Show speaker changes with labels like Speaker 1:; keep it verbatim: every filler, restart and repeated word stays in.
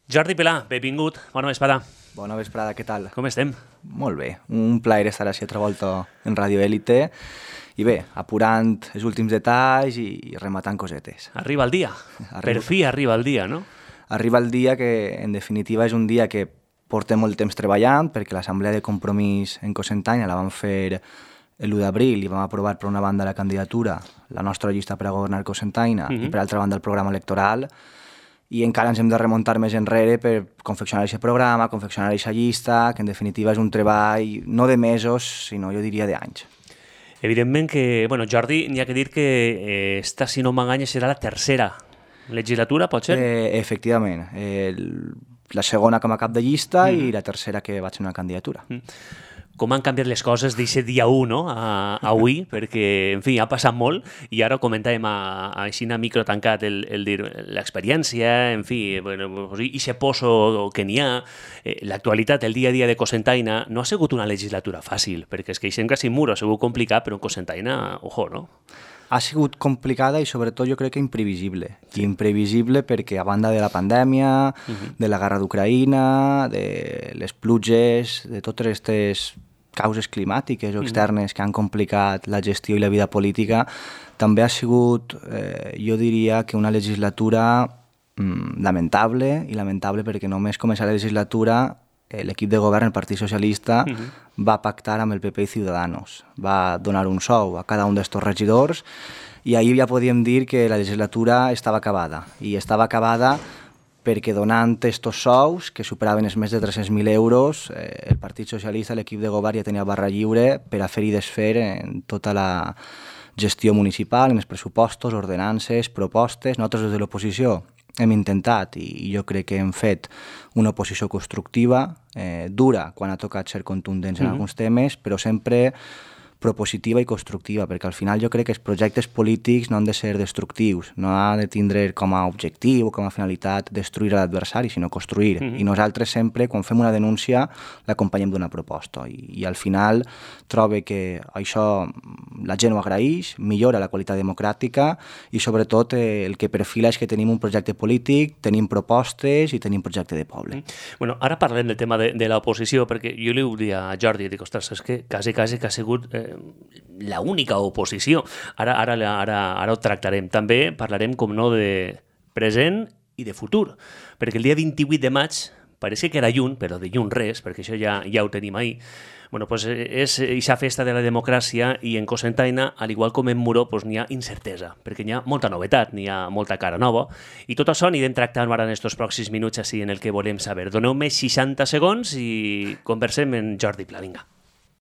Speaker 1: Jordi Pelà, benvingut, bona vesprada.
Speaker 2: Bona vesprada, què tal?
Speaker 1: Com estem?
Speaker 2: Molt bé, un plaer estar així altra volta en Radio Élite i bé, apurant els últims detalls i rematant cosetes.
Speaker 1: Arriba el dia, arriba. Per fi arriba el dia, no?
Speaker 2: Arriba el dia que, en definitiva, és un dia que portem molt temps treballant perquè l'Assemblea de Compromís en Cocentaina la vam fer l'u d'abril i vam aprovar per una banda la candidatura, la nostra llista per a governar Cocentaina uh-huh. i per altra banda el programa electoral, i encara ens hem de remuntar més enrere per confeccionar aquest programa, confeccionar aquesta llista, que en definitiva és un treball no de mesos, sinó jo diria d'anys.
Speaker 1: Evidentment que, bueno, Jordi, n'hi ha que dir que eh, esta, si no m'enganya, serà la tercera legislatura, pot ser?
Speaker 2: Eh, efectivament, eh, la segona com a cap de llista mm. i la tercera que vaig fer una candidatura.
Speaker 1: Mm. Com han canviat les coses d'aquest dia u, no?, a, a avui, perquè, en fi, ha passat molt, i ara comentàvem a, a així a micro tancat el, el dir l'experiència, en fi, bueno, i se poso que n'hi ha, eh, l'actualitat, el dia a dia de Cocentaina, no ha sigut una legislatura fàcil, perquè és que això quasi mur ha sigut complicat, però en Cocentaina, ojo, no?
Speaker 2: Ha sigut complicada i sobretot jo crec que imprevisible. Sí. Imprevisible perquè a banda de la pandèmia, uh-huh. de la guerra d'Ucraïna, de les pluges, de totes aquestes causes climàtiques o externes uh-huh. que han complicat la gestió i la vida política, també ha sigut, eh, jo diria, que una legislatura mm, lamentable, i lamentable perquè només començar la legislatura l'equip de govern, el Partit Socialista, uh-huh. va pactar amb el P P i Ciudadanos. Va donar un sou a cada un d'estos regidors i ahir ja podíem dir que la legislatura estava acabada. I estava acabada perquè donant estos sous, que superaven els més de tres-cents mil euros, eh, el Partit Socialista, l'equip de govern ja tenia barra lliure per a fer i desfer en tota la gestió municipal, en els pressupostos, ordenances, propostes. Nosaltres des de l'oposició hem intentat i jo crec que hem fet una oposició constructiva, eh, dura quan ha tocat ser contundents en mm-hmm. alguns temes, però sempre propositiva i constructiva, perquè al final jo crec que els projectes polítics no han de ser destructius, no han de tindre com a objectiu o com a finalitat destruir l'adversari, sinó construir. Mm-hmm. I nosaltres sempre, quan fem una denúncia, l'acompanyem d'una proposta. I, I al final trobo que això la gent ho agraeix, millora la qualitat democràtica i sobretot eh, el que perfila és que tenim un projecte polític, tenim propostes i tenim projecte de poble.
Speaker 1: Mm. Bueno, ara parlem del tema de, de l'oposició, perquè jo li ho dia a Jordi, dic, ostres, és que quasi, quasi que ha sigut eh, la única oposició. Ara, ara, ara, ara ho tractarem. També parlarem, com no, de present i de futur, perquè el dia vint-i-vuit de maig, parece que era lluny, però de lluny res, perquè això ja, ja ho tenim ahir. Bueno, pues és aquesta festa de la democràcia i en Cocentaina, al igual com en Muro, pues n'hi ha incertesa, perquè n'hi ha molta novetat, n'hi ha molta cara nova, i tot això anirem tractant ara en aquests pròxims minuts així en el que volem saber. Doneu-me seixanta segons i conversem amb Jordi Pelà, vinga.